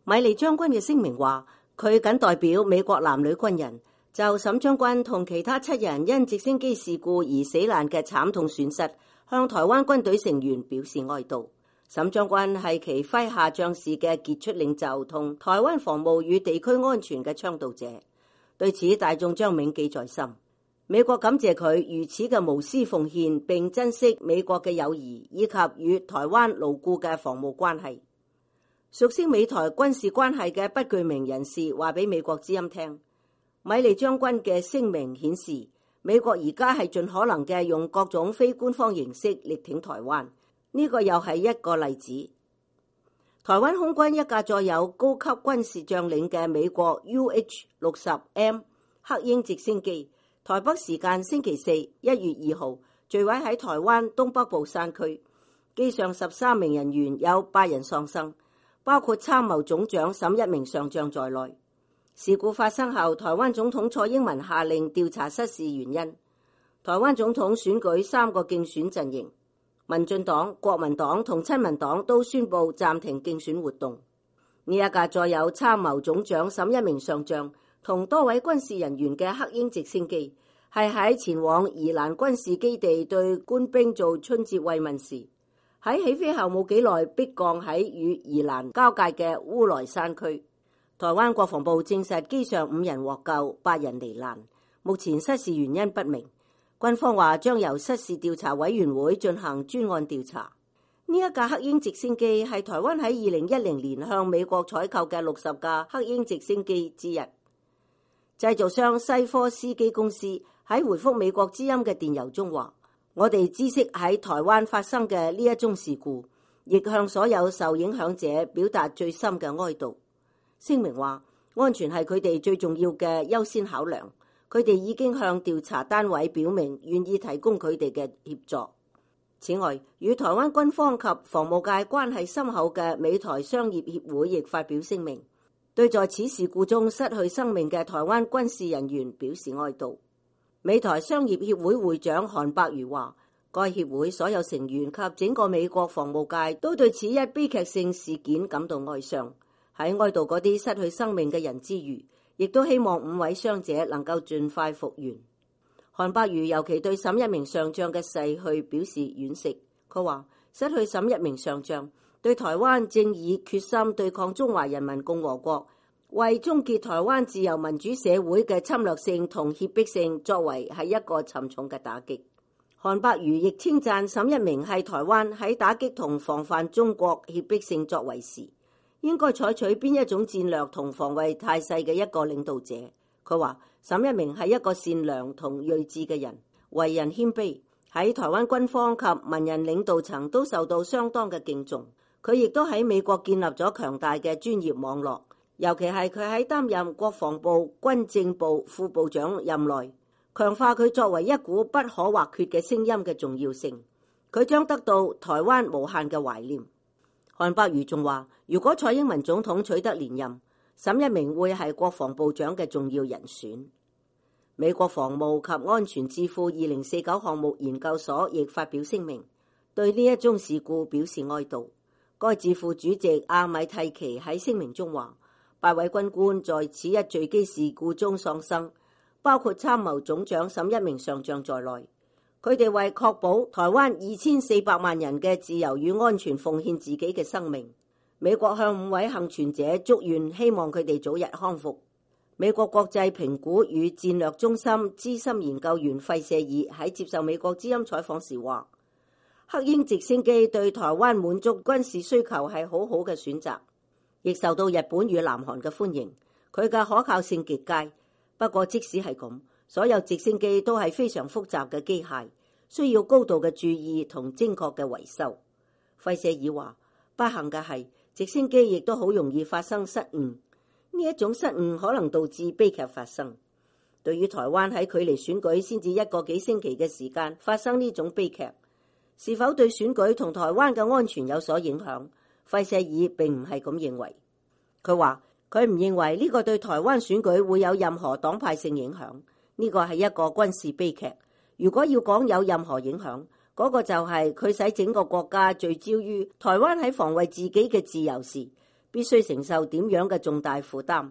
米利將軍嘅聲明話，佢僅代表美國男女軍人就沈將軍同其他7人因直升機事故而死難嘅慘痛損失，向台灣軍隊成員表示哀悼。沈將軍係其麾下將士嘅傑出領袖同台灣防務與地區安全嘅倡導者，對此大眾將銘記在心。美國感謝佢如此嘅無私奉獻，並珍惜美國嘅友誼以及與台灣牢固嘅防務關係。熟悉美台軍事關係嘅不具名人士話俾美國之音聽，米利將軍嘅聲明顯示，美國而家係盡可能嘅用各種非官方形式力挺台灣。呢個又係一個例子。台灣空軍一架載有高級軍事將領嘅美國 UH-60M 黑鷹直升機，台北時間星期四1月2號墜毀喺台灣東北部山區，機上13名人員有8人喪生，包括參謀總長沈一鳴上將在內。事故發生後，台灣總統蔡英文下令調查失事原因。台灣總統選舉3個競選陣營，民進黨、國民黨同親民黨都宣布暫停競選活動。呢一架載有參謀總長沈一鳴上將同多位軍事人員嘅黑鷹直升機，係喺前往宜蘭軍事基地對官兵做春節慰問時，喺起飛後冇幾耐迫降喺與宜蘭交界嘅烏來山區。台灣國防部證實機上5人獲救，8人罹難，目前失事原因不明。軍方話將由失事調查委員會進行專案調查。呢一架黑鷹直升機係台灣喺2010年向美國採購嘅60架黑鷹直升機之一。製造商西科斯基公司喺回覆美國之音嘅電郵中話，我哋知悉喺台灣發生嘅呢一宗事故，亦向所有受影響者表達最深嘅哀悼。聲明話，安全係佢哋最重要嘅優先考量。佢哋已經向調查單位表明願意提供佢哋嘅協助。此外，與台灣軍方及防務界關係深厚嘅美台商業協會亦發表聲明，對在此事故中失去生命嘅台灣軍事人員表示哀悼。美台商業協會會長韓伯瑜話，該協會所有成員及整個美國防務界都對此一悲劇性事件感到哀傷。喺哀悼嗰啲失去生命嘅人之餘，亦都希望5位傷者能夠盡快復原。韓伯瑜尤其對沈一鳴上將嘅逝去表示惋惜。佢話，失去沈一鳴上將對台灣正以決心對抗中華人民共和國，為終結台灣自由民主社會嘅侵略性同脅迫性作為係一個沉重嘅打擊。韓伯瑜亦稱讚沈一鳴係台灣喺打擊同防範中國脅迫性作為時，應該採取邊一種戰略同防衛態勢嘅一個領導者。佢話沈一鳴係一個善良同睿智嘅人，為人謙卑，喺台灣軍方及文人領導層都受到相當嘅敬重。佢亦都喺美國建立咗強大嘅專業網絡，尤其係佢喺擔任國防部軍政部副部長任內，強化佢作為一股不可或缺嘅聲音嘅重要性。佢將得到台灣無限嘅懷念。韓伯瑜仲話，如果蔡英文總統取得連任，沈一鳴會係國防部長嘅重要人選。美國防務及安全智庫2049項目研究所亦發表聲明，對呢一宗事故表示哀悼。該智庫主席阿米蒂奇喺聲明中話，8位軍官在此一墜機事故中喪生，包括參謀總長沈一鳴上將在內。佢哋為確保台灣2400萬人嘅自由與安全奉獻自己嘅生命。美國向5位幸存者祝願，希望佢哋早日康復。美國國際評估與戰略中心資深研究員費舍爾喺接受美國之音採訪時話，黑鷹直升機對台灣滿足軍事需求係好好嘅選擇，亦受到日本與南韓嘅歡迎。佢嘅可靠性極佳。不過即使係咁，所有直升機都係非常複雜嘅機械，需要高度嘅注意同精確嘅維修。費舍爾話，不幸嘅係直升機亦都好容易發生失誤，呢一種失誤可能導致悲劇發生。對於台灣喺距離選舉先至1個幾星期嘅時間發生呢種悲劇，是否對選舉同台灣嘅安全有所影響？費舍爾並唔係咁認為。佢話佢唔認為呢個對台灣選舉會有任何黨派性影響，呢個係一個軍事悲劇。如果要講有任何影響，嗰個就係佢使整個國家聚焦於台灣喺防衛自己嘅自由時，必須承受點樣嘅重大負擔。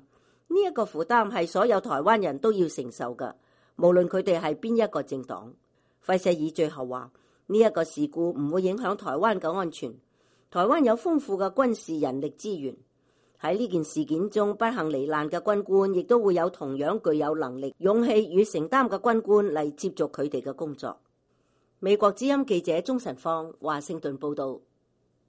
呢一個負擔係所有台灣人都要承受嘅，無論佢哋係邊一個政黨。費舍爾最後話：呢一個事故唔會影響台灣嘅安全。台灣有豐富嘅軍事人力資源，喺呢件事件中不幸罹難嘅軍官，亦都會有同樣具有能力、勇氣與承擔嘅軍官嚟接續佢哋嘅工作。美國之音記者鍾晨芳華盛頓報道。